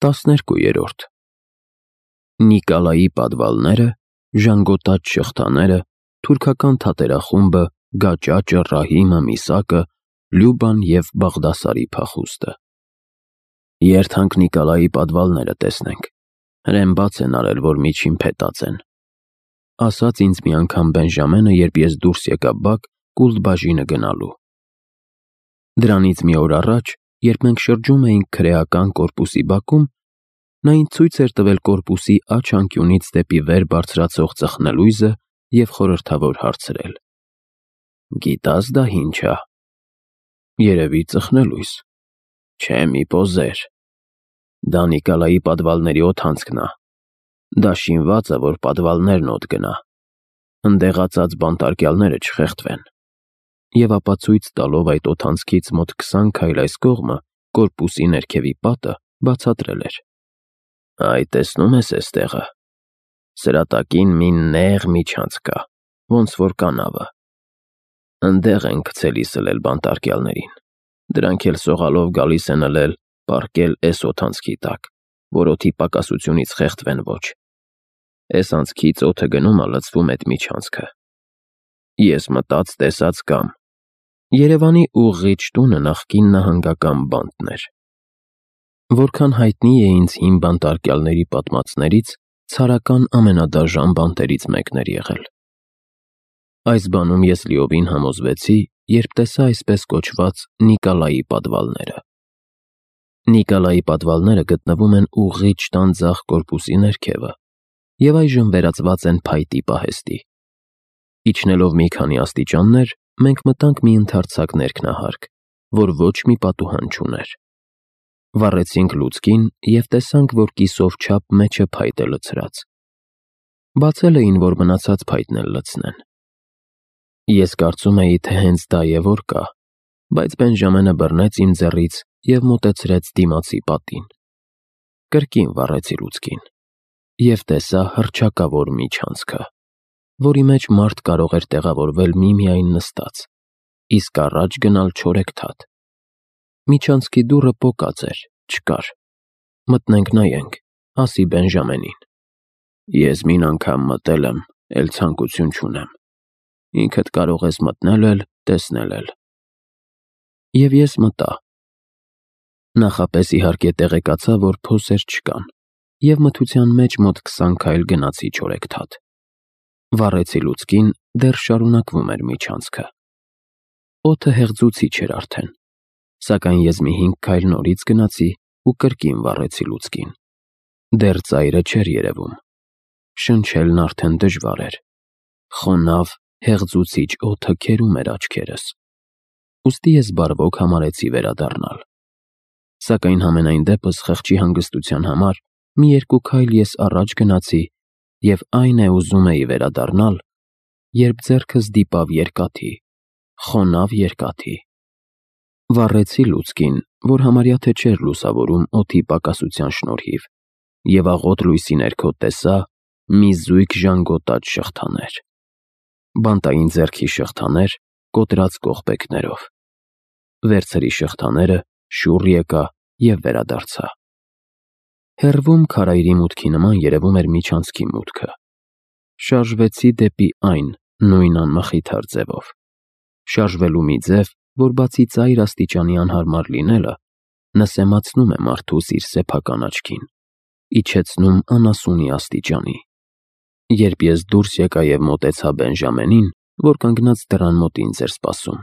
12-րդ Նիկոլայի պատվալները, ժանգոտած շղթաները, թուրքական թատերախումբը, գաճաճը, Ռահիմը, Միսակը, Լյուբան և Բաղդասարի փախուստը։ Երթանք Նիկոլայի պատվալները տեսնենք, հրեն բաց են արել, որ միջին փետած են, ասաց ինձ մի անգամ Բենժամենը, երբ ես դուրս եկա բակ կուլտ-բաժինը գնալու։ Դրանից մի օր առաջ, երբ մենք շրջում էինք քրեական կորպուսի բակում, նա ինձ ցույց էր տվել կորպուսի աջ անկյունից դեպի վեր բարձրացող ծխնելույզը և խորհրդավոր հարցրել. «Գիտա՞ս դա ինչ ա»։ Երևի ծխնելույզ։ Չէ, մի պոզեր։ Դա Նիկոլայի պատվալների օդանցքն ա։ Դա շինված ա, որ պատվալներն օդ գնա, ընդեղածած բանտարկյալները չխեղդվեն։ Եվ ապա ցույց տալով այդ օդանցքից մոտ 20 քայլ այս կողմը կորպուսի ներքևի պատը բացատրել էր. «Այ տեսնում ես էս տեղը, սրա տակին մի նեղ միջանցք կա, ոնց որ կանավը։ Ընդեղ են գցելի սլել բանտարկյալներին, դրանք էլ սողալով գալիս են ըլել պառկել էս օդանցքի տակ, որ օդի պակասությունից խեղդվեն ոչ։ Էս անցքից օդը գնում ա լցվում էդ միջանցքը։ Ես մտած տեսած կամ։ Երևանի ուղղիչ տունը նախկին նահանգական բանտն էր։ Որքան հայտնի է ինձ հին բանտարկյալների պատմածներից, ցարական ամենադաժան բանտերից մեկն էր եղել։ Այս բանում ես լիովին համոզվեցի, երբ տեսա այսպես կոչված Նիկոլայի պատվալները։ Նիկոլայի պատվալները գտնվում են ուղղիչ տան ձախ կորպուսի ներքևը և այժմ վերածված են փայտի պահեստի։ Իջնելով մի քանի աստիճաններ, մենք մտանք մի ընդարձակ ներքնահարկ, որ ոչ մի պատուհան չուներ։ Վառեցինք լուցկին և տեսանք, որ կիսով չափ մեջը փայտ է լցրած։ Բացել էին, որ մնացած փայտն էլ լցնեն։ Ես կարծում էի, թե հենց դա է որ կա, բայց Բենժամենը բռնեց իմ ձեռից և մոտեցրեց դիմացի պատին։ Կրկին վառեցի լուցկին և տեսա հռչակավոր միջանցքը, որի մեջ մարդ կարող էր տեղավորվել միմիայն նստած, իսկ առաջ գնալ չորեքթաթ։ Միջանցքի դուռը պոկած էր, չկար։ Մտնենք նայենք, ասի Բենժամենին։ Ես մին անգամ մտել եմ, էլ ցանկություն չունեմ։ Ինքդ կարող ես մտնել էլ, տեսնել էլ։ Եվ ես մտա։ Նախապես իհարկե տեղեկացա, որ փոսեր չկան, և մթության մեջ մոտ 20 քայլ գնացի չորեքթաթ։ Վառեցի լուցկին, դեռ շարունակվում էր միջանցքը։ Օդը հեղձուցիչ էր արդեն, սակայն ես մի 5 քայլ նորից գնացի ու կրկին վառեցի լուցկին։ Դեռ ծայրը չէր երևում։ Շնչելն արդեն դժվար էր։ Խոնավ, հեղձուցիչ օդը քերում էր աչքերս։ Ուստի ես բարվոք համարեցի վերադառնալ։ Սակայն համենայն դեպս խղճի հանգստության համար մի 2 քայլ ես առաջ գնացի և այն է ուզում էի վերադառնալ, երբ ձեռքս դիպավ երկաթի, խոնավ երկաթի։ Վառեցի լուցկին, որ համարյա թե չէր լուսավորում օդի պակասության շնորհիվ, և աղոտ լույսի ներքո տեսա մի զույգ ժանգոտած շղթաներ։ Բանտային ձեռքի շղթաներ կոտրած կողպեքներով։ Վերցրի շղթաները, շուռ եկա և վերադարձա։ Հեռվում քարայրի մուտքի նման երևում էր միջանցքի մուտքը։ Շարժվեցի դեպի այն նույն անմխիթար ձևով։ Շարժվելու մի ձև, որ բացի ծայր աստիճանի անհարմար լինելը, նսեմացնում է մարդուս իր սեփական աչքին, իջեցնում անասունի աստիճանի։ Երբ ես դուրս եկա և մոտեցա Բենժամենին, որ կանգնած դռան մոտ ինձ էր սպասում,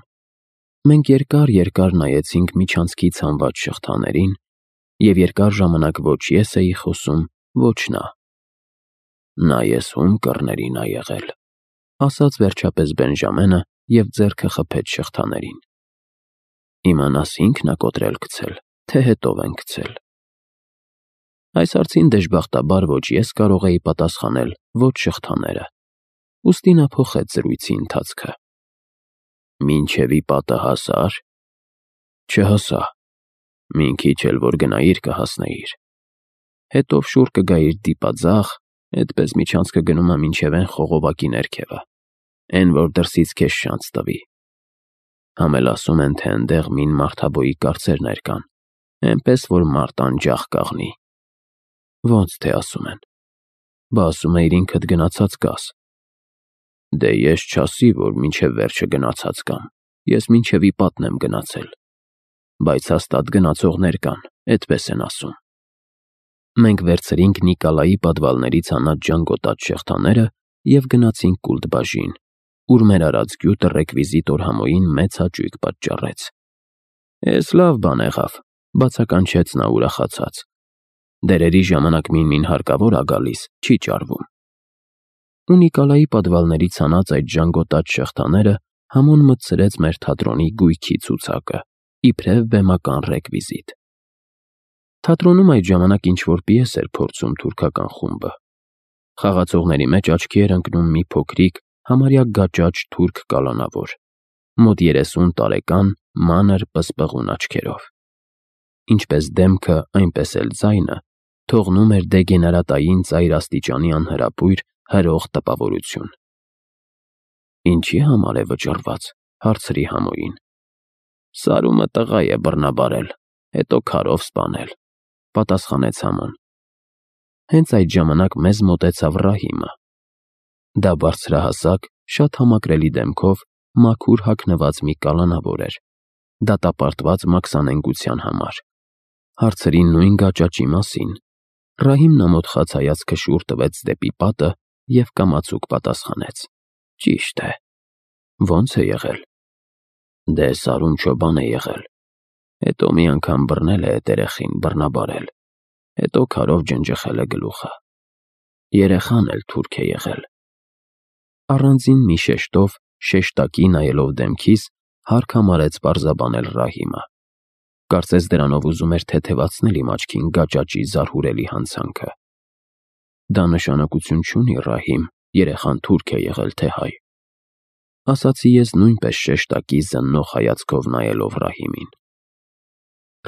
մենք երկար նայեցինք միջանցքի ցանված շղթաներին, և երկար ժամանակ ոչ ես էի խոսում, ոչ նա։ «Նա ես ում կռներին ա եղել», ասաց վերջապես Բենժամենը և ձեռքը խփեց շղթաներին։ «Իմանաս ինքն ա կոտրել գցել, թե հետով են գցել»։ Այս հարցին դժբախտաբար ոչ ես կարող էի պատասխանել, ոչ շղթաները։ Ուստի նա փոխեց զրույցի ընթացքը։ «Մինչև ի պատը հասա՞ր»։ «Չհասա։ Մին քիչ էլ որ գնայիր կհասնեիր։ Հետով շուռ կգայիր դիպաձախ, էդպես միջանցքը գնում ա մինչև էն խողովակի ներքևը, էն որ դրսից քեզ շանց տվի։ Համ էլ ասում են, թե ընդեղ մին մարդաբոյի կարծերներ կան, էնպես որ մարդ անջախ կաղնի։ Ոնց թե ասում են։ Բա ասում էիր ինքդ գնացած կաս։ Դե ես չասի, որ մինչև վերջը գնացած կամ, ես մինչև ի պատն եմ գնացել, բայց հաստատ գնացողներ կան, էդպես են ասում։ Մենք վերցրինք Նիկոլայի պատվալներից հանած ջանգոտած շղթաները և գնացինք Կուլտբաժին, ուր մեր արած գյուտը ռեկվիզիտոր Համոյին մեծ հաճույք պատճառեց։ Էս լավ բան եղավ, բացականչեց նա ուրախացած։ Դերերի ժամանակ մին հարկավոր ա գալիս, չի ճարվում։ Ու Նիկոլայի պատվալներից հանած այդ ժանգոտած շղթաները Համոն մտցրեց մեր թատրոնի գույքի ցուցակը, իբրև բեմական ռեկվիզիտ։ Թատրոնում այդ ժամանակ ինչ-որ պիես էր փորձում թուրքական խումբը։ Խաղացողների մեջ աչքի էր ընկնում մի փոքրիկ, համարյա գաճաճ թուրք կալանավոր, մոտ 30 տարեկան, մանր պսպղուն աչքերով։ Ինչպես դեմքը, այնպես էլ ձայնը թողնում էր դեգեներատային ծայր աստիճանի անհրապույր հրող տպավորություն։ Ինչի համար է վճռված, հարցրի Համոյին։ Սարումը տղա է բռնաբարել, հետո քարով սպանել, պատասխանեց Համոն։ Հենց այդ ժամանակ մեզ մոտեցավ Ռահիմը։ Դա բարձրահասակ, շատ համակրելի դեմքով, մաքուր հագնված մի կալանավոր էր, դատապարտված մաքսանենգության համար։ Հարցրի նույն գաճաճի մասին։ Ռահիմն ամոթխած հայացքը շուռ տվեց դեպի պատը և կամացուկ պատասխանեց. Ճիշտ է։ Ոնց է եղել։ Դե Սարում չոբան է եղել, հետո մի անգամ բռնել է էդ երեխին, բռնաբարել, հետո քարով ջնջխել է գլուխը։ Երեխան էլ թուրք է եղել։ Առանձին մի շեշտով, շեշտակի նայելով դեմքիս, հարկ համարեց պարզաբանել Ռահիմը։ Կարծես դրանով ուզում էր թեթևացնել իմ աչքին գաճաճի զարհուրելի հանցանքը։ Դա նշանակություն չունի, Ռահիմ, երեխան թուրք է եղել թե հայ, ասացի ես նույնպես շեշտակի զննող հայացքով նայելով Ռահիմին։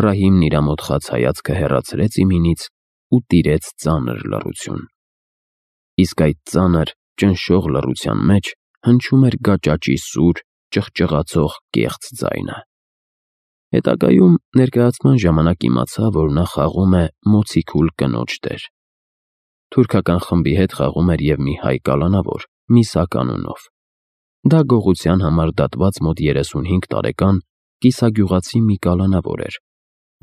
Ռահիմն իր ամոթխած հայացքը հեռացրեց իմինից ու տիրեց ծանր լռություն։ Իսկ այդ ծանր, ճնշող լռության մեջ հնչում էր գաճաճի սուր, ճղճղացող կեղծ ձայնը։ Հետագայում ներկայացման ժամանակ իմացա, որ նա խաղում է մոցիկուլ կնոջ դեր։ Թուրքական խմբի հետ խաղում էր և մի հայ կալանավոր, Միսակ անունով։ Դա գողության համար դատված մոտ 35 տարեկան կիսագյուղացի մի կալանավոր էր,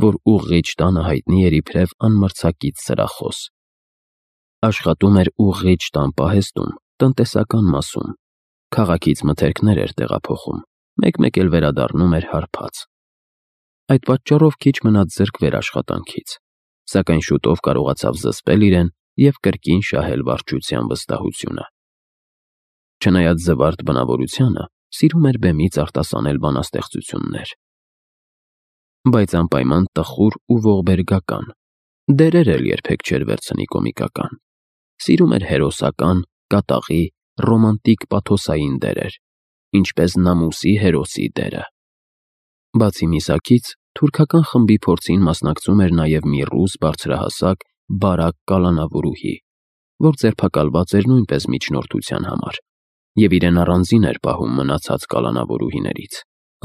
որ ուղղիչ տանը հայտնի էր իբրև անմրցակից սրախոս։ Աշխատում էր ուղղիչ տան պահեստում, տնտեսական մասում, քաղաքից մթերքներ էր տեղափոխում, մեկ-մեկ էլ վերադառնում էր հարբած։ Այդ պատճառով քիչ մնաց զրկվեր աշխատանքից, սակայն շուտով կարողացավ զսպել իրեն և կրկին շահել վարչության վստահությունը։ Չնայած զվարթ բնավորությանը, սիրում էր բեմից արտասանել բանաստեղծություններ։ Բայց անպայման տխուր ու ողբերգական, դերեր էլ երբեք չէր վերցնի կոմիկական։ Սիրում էր հերոսական, կատաղի, ռոմանտիկ պաթոսային դերեր, ինչպես Նամուսի հերոսի դերը։ Բացի Միսակից, թուրքական խմբի փորձին մասնակցում էր նաև մի ռուս բարձրահասակ, բարակ կալանավորուհի, որ ձերբակալված էր նույնպես միջնորդության համար, և իրեն առանձին էր պահում մնացած կալանավորուհիներից՝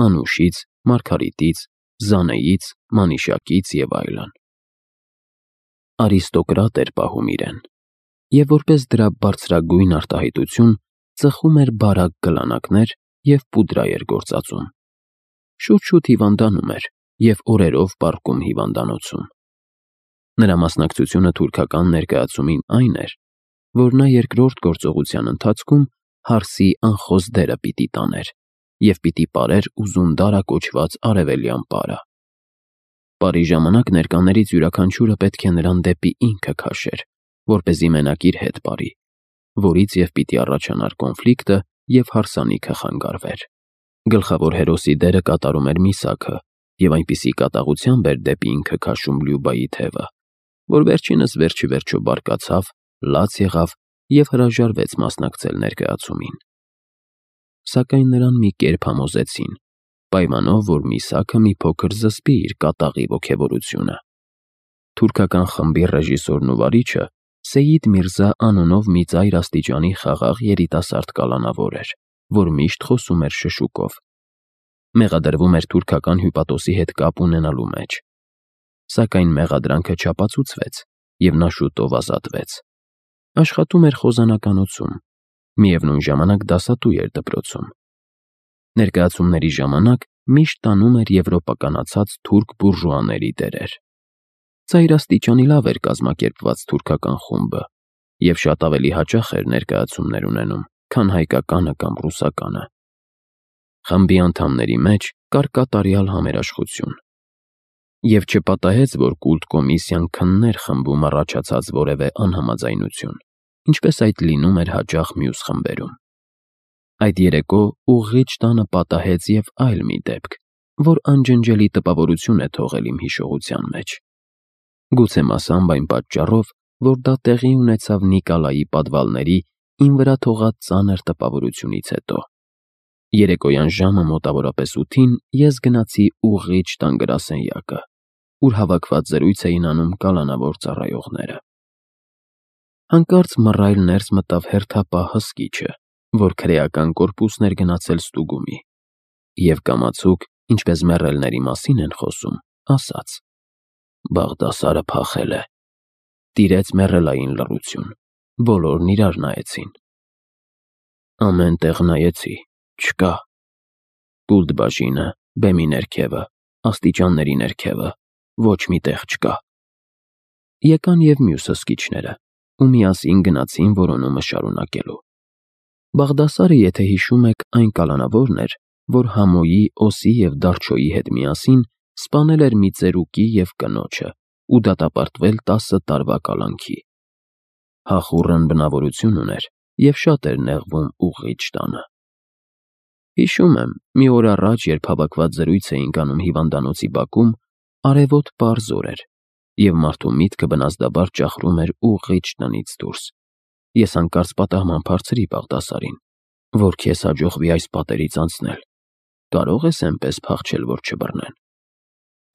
Անուշից, Մարգարիտից, Զանեից, Մանիշակից և այլն։ Արիստոկրատ էր պահում իրեն, և որպես դրա բարձրագույն արտահայտություն ծխում էր բարակ գլանակներ և պուդրա էր գործածում։ Շուտ-շուտ հիվանդանում էր և օրերով պառկում հիվանդանոցում։ Նրա մասնակցությունը թուրքական ներկայացումին այն էր, որ նա երկրորդ գործողության ընթացքում հարսի անխոս դերը պիտի տաներ և պիտի պարեր Ուզունդարա կոչված արևելյան պարը։ Պարի ժամանակ ներկաներից յուրաքանչյուրը պետք է նրան դեպի ինքը քաշեր, որպեսզի մենակ իր հետ պարի, որից և պիտի առաջանար կոնֆլիկտը և հարսանիքը խանգարվեր։ Գլխավոր հերոսի դերը կատարում էր Միսակը և այնպիսի կատաղությամբ էր դեպի ինքը քաշում Լյուբայի թևը, որ վերջինս վերջիվերջո բարկացավ, լաց եղավ և հրաժարվեց մասնակցել ներկայացումին։ Սակայն նրան մի կերպ համոզեցին, պայմանով, որ Միսակը մի փոքր զսպի իր կատաղի ոգևորությունը։ Թուրքական խմբի ռեժիսորն ու վարիչը Սեյիդ Միրզա անունով մի ծայր աստիճանի խաղաղ երիտասարդ կալանավոր էր, որ միշտ խոսում էր շշուկով։ Մեղադրվում էր թուրքական հյուպատոսի հետ կապ ունենալու մեջ։ Սակայն մեղադրանքը չապացուցվեց և նա շուտով ազատվեց։ Աշխատում էր խոզանականություն, միևնույն ժամանակ դասատու էր դպրոցում։ Ներկայացումների ժամանակ միշտ տանում էր եվրոպականացած թուրք բուրժուաների դերեր։ Ծայրաստիճանի լավ էր կազմակերպված թուրքական խումբը և շատ ավելի հաճախ էր ներկայացումներ ունենում, քան հայկականը կամ ռուսականը։ Խմբի անդամների մեջ կար կատարյալ համերաշխություն։ Եվ չպատահեց, որ կուլտ կոմիսիան քններ խմբում առաջացած որևէ անհամաձայնություն, ինչպես այդ լինում էր հաճախ մյուս խմբերում։ Այդ երեկո ուղղիչ տանը պատահեց և այլ մի դեպք, որ անջնջելի տպավորություն է թողել իմ հիշողության մեջ։ Գուցե մասամբ այն պատճառով, որ դա տեղի ունեցավ Նիկոլայի պատվալների իմ վրա թողած ծանր տպավորությունից հետո։ Երեկոյան ժամը մոտավորապես 8-ին ես գնացի ուղղիչ տան գրասենյակը, ուր հավաքված զրույց էին անում կալանավոր ծառայողները։ Հանկարծ մռայլ ներս մտավ հերթապահ հսկիչը, որ քրեական կորպուսն էր գնացել ստուգումի, և կամացուկ, ինչպես մեռելների մասին են խոսում, ասաց. «Բաղդասարը փախել է»։ Տիրեց մեռելային լռություն։ Բոլորն իրար նայեցին։ «Ամեն տեղ նայեցի, չկա։ Կուլտ բաժինը, բեմի ներքևը, աստիճանների ներքևը, ոչ մի տեղ չկա»։ Եկան և մյուս հսկիչները, ու միասին գնացին որոնումը շարունակելու։ Բաղդասարը, եթե հիշում եք, այն կալանավորն էր, որ Համոյի, Օսի և Դարչոյի հետ միասին սպանել էր մի ծերուկի և կնոջը ու դատապարտվել 10 տարվա կալանքի։ Հախուռն բնավորություն ուներ և շատ էր նեղվում ուղղիչ տանը։ Հիշում եմ, մի օր առաջ, երբ հավաքված զրույց էինք անում հիվանդանոցի բակում, արևոտ պարզ օր էր, և մարդու միտքը բնազդաբար ճախրում էր ուղղիչ տնից դուրս։ Ես հանկարծ պատահմամբ հարցրի Բաղդասարին, որ քեզ հաջողվի այս պատերից անցնել, կարո՞ղ ես էնպես փախչել, որ չբռնեն։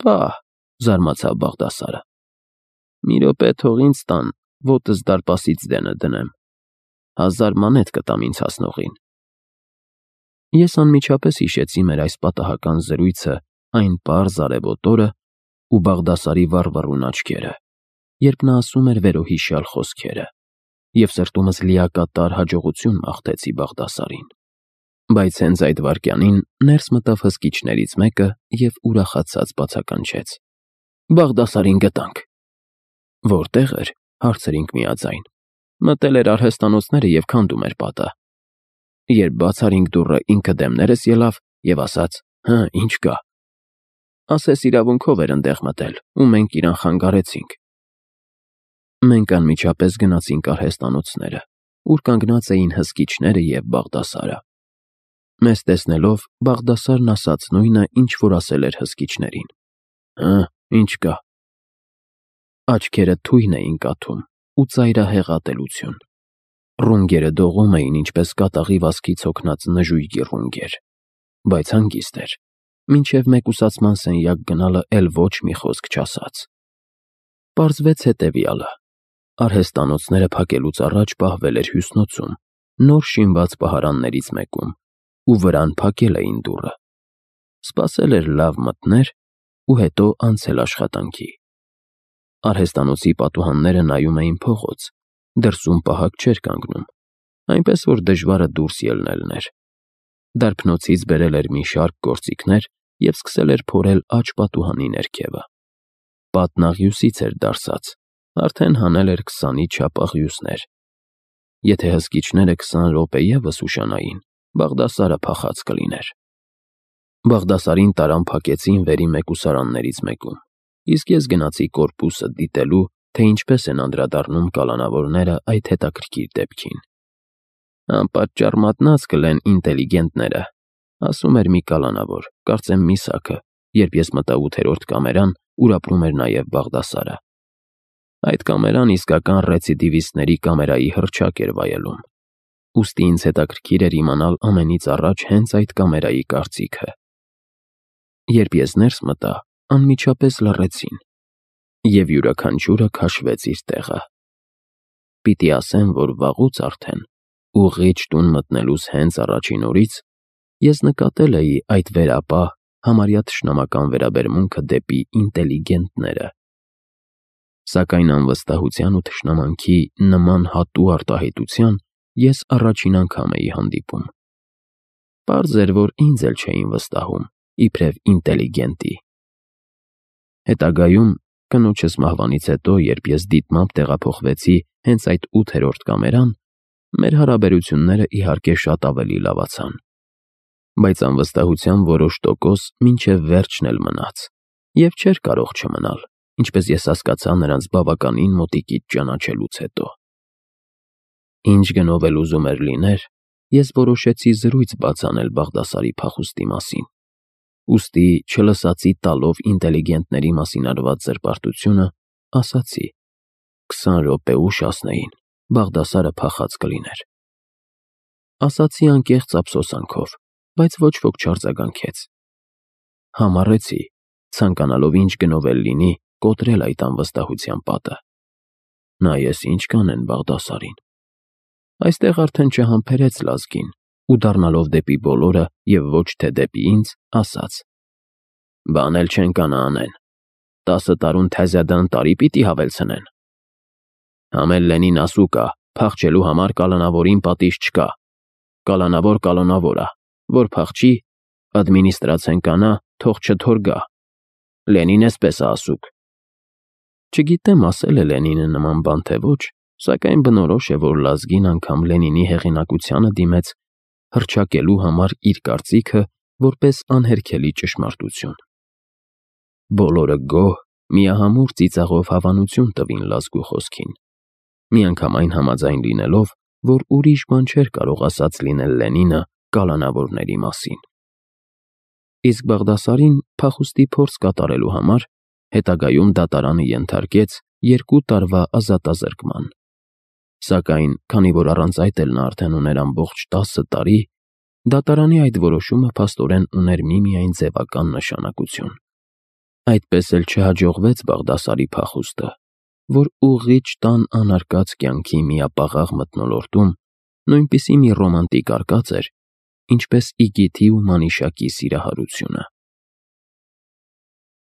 «Պահ», զարմացավ Բաղդասարը, «մի րոպե թող ինձ տան, ոտս դարպասից դենը դնեմ, 1000 մանեթ կտամ ինձ հասնողին»։ Ես անմիջապես հիշեցի մեր այս պատահական զրույցը այն պարզ արևոտ օրը ու Բաղդասարի վառվռուն աչքերը, երբ նա ասում էր վերոհիշյալ խոսքերը, և սրտումս լիակատար հաջողություն մաղթեցի Բաղդասարին։ Բայց հենց այդ վայրկյանին ներս մտավ հսկիչներից մեկը և ուրախացած բացականչեց. «Բաղդասարին գտանք»։ «Որտեղ էր», հարցրինք միաձայն։ «Մտել էր արհեստանոցները և քանդում էր պատը»։ Երբ բաց արինք դուռը, ինքը դեմներս ելավ և ասաց. «Հը, ինչ կա»։ Ասես իրավունքով էր ընդեղ մտել, ու մենք իրան խանգարեցինք։ Մենք անմիջապես գնացինք արհեստանոցները, ուր կանգնած էին հսկիչները և Բաղդասարը։ Մեզ տեսնելով, Բաղդասարն ասաց նույնը, ինչ որ ասել էր հսկիչներին. «Հը, ինչ կա»։ Աչքերը թույն էին կաթում ու ծայրահեղ ատելություն։ Ռունգերը դողում էին, ինչպես կատաղի վազքից հոգնած նժույգի ռունգեր, բայց հանգիստ էր, մինչև մեկուսացման սենյակ գնալը էլ ոչ մի խոսք չասաց։ Պարզվեց հետևյալը. արհեստանոցները փակելուց առաջ պահվել էր հյուսնոցում, նոր շինված պահարաններից մեկում, ու վրան փակել էին դուռը։ Սպասել էր լավ մթներ ու հետո անցել աշխատանքի։ Արհեստանոցի պատուհանները նայում էին փողոց, դրսում պահակ չէր կանգնում, այնպես որ դժվարը դուրս ելնելն էր։ Դարբնոցից բերել էր մի շարք գործիքներ և սկսել էր փորել աջ պատուհանի ներքևը։ Պատն աղյուսից էր դարսած, արդեն հանել էր 20-ի չափ աղյուսներ։ Եթե հսկիչները 20 րոպե ևս ուշանային, Բաղդասարը փախած կլիներ։ Բաղդասարին տարան փակեցին վերի մեկուսարաններից մեկում, իսկ ես գնացի կորպուսը դիտելու, թե ինչպես են անդրադառնում կալանավորները այդ հետաքրքիր դեպքին։ «Անպատճառ մատնած կլեն ինտելիգենտները», ասում էր մի կալանավոր, կարծեմ Միսաքը, երբ ես մտա 8-րդ կամերան, ուր ապրում էր նաև Բաղդասարը։ Այդ կամերան իսկական ռեցիդիվիստների կամերայի հռչակ էր վայելում։ Ուստի ինձ հետաքրքիր էր իմանալ ամենից առաջ հենց այդ կամերայի կարծիքը։ Երբ ես ներս մտա, անմիջապես լռեցին, և յուրաքանչյուրը քաշվեց իր տեղը։ Պիտի ասեմ, որ վաղուց արդեն, ուղղիչ տուն մտնելուց հենց առաջին օրից, ես նկատել էի այդ վերապահ, համարյա թշնամական վերաբերմունքը դեպի ինտելիգենտները։ Սակայն անվստահության ու թշնամանքի նման հատու արտահայտության ես առաջին անգամ էի հանդիպում։ Պարզ էր, որ ինձ էլ չէին վստահում, իբրև ինտելիգենտի։ Հետագայում, կնոջս մահվանից հետո, երբ ես դիտմամբ տեղափոխվեցի հենց այդ 8-րդ կամերան, մեր հարաբերությունները իհարկե շատ ավելի լավացան։ Բայց անվստահության որոշ տոկոս մինչև վերջն էլ մնաց, և չէր կարող չմնալ, ինչպես ես հասկացա նրանց բավականին մոտիկից ճանաչելուց հետո։ Ինչ գնով էլ ուզում էր լիներ, ես որոշեցի զրույց բաց անել Բաղդասարի փախուստի մասին։ Ուստի, չլսածի տալով ինտելիգենտների մասին արված զրպարտությունը, ասացի. 20 րոպե ուշ ասնեին, Բաղդասարը փախած կլիներ։ Ասացի անկեղծ ափսոսանքով, բայց ոչ ոք չարձագանքեց։ Համառեցի, ցանկանալով ինչ գնով էլ լինի, կոտրել այդ անվստահության պատը։ Նայես ինչ կանեն Բաղդասարին։ Այստեղ արդեն չհամբերեց լազգին ու դառնալով դեպի բոլորը և ոչ թե դեպի ինձ, ասաց. «Բան էլ չեն կանա անեն, 10 տարուն թազյադան տարի պիտի հավելցնեն։ Համել Լենին ասու կա, փախչելու համար կալանավորին պատիժ չկա, կալանավոր ա, որ փախչի, ադմինիստրացեն կանա, թող չթորգա, Լենին էսպես ա ասուկ»։ Չգիտեմ ասել է Լենինը նման բան թե ոչ, սակայն բնորոշ է, որ լազգին անգամ Լենինի հեղինակությանը դիմեց հռչակելու համար իր կարծիքը որպես անհերքելի ճշմարտություն։ Բոլորը գոհ, միահամուռ ծիծաղով հավանություն տվին լազգու խոսքին, միանգամայն համաձայն լինելով, որ ուրիշ բան չէր կարող ասած լինել Լենինը կալանավորների մասին։ Իսկ Բաղդասարին փախուստի փորձ կատարելու համար հետագայում դատարանը ենթարկեց 2 տարվա ազատազրկման։ Սակայն, քանի որ առանց այդ էլ նա արդեն ուներ ամբողջ 10 տարի, դատարանի այդ որոշումը փաստորեն ուներ միմիայն ձևական նշանակություն։ Այդպես էլ չհաջողվեց Բաղդասարի փախուստը, որ ուղղիչ տան անարկած կյանքի միապաղաղ մթնոլորտում նույնպիսի մի ռոմանտիկ արկած էր, ինչպես Իգիթի ու Մանիշակի սիրահարությունը։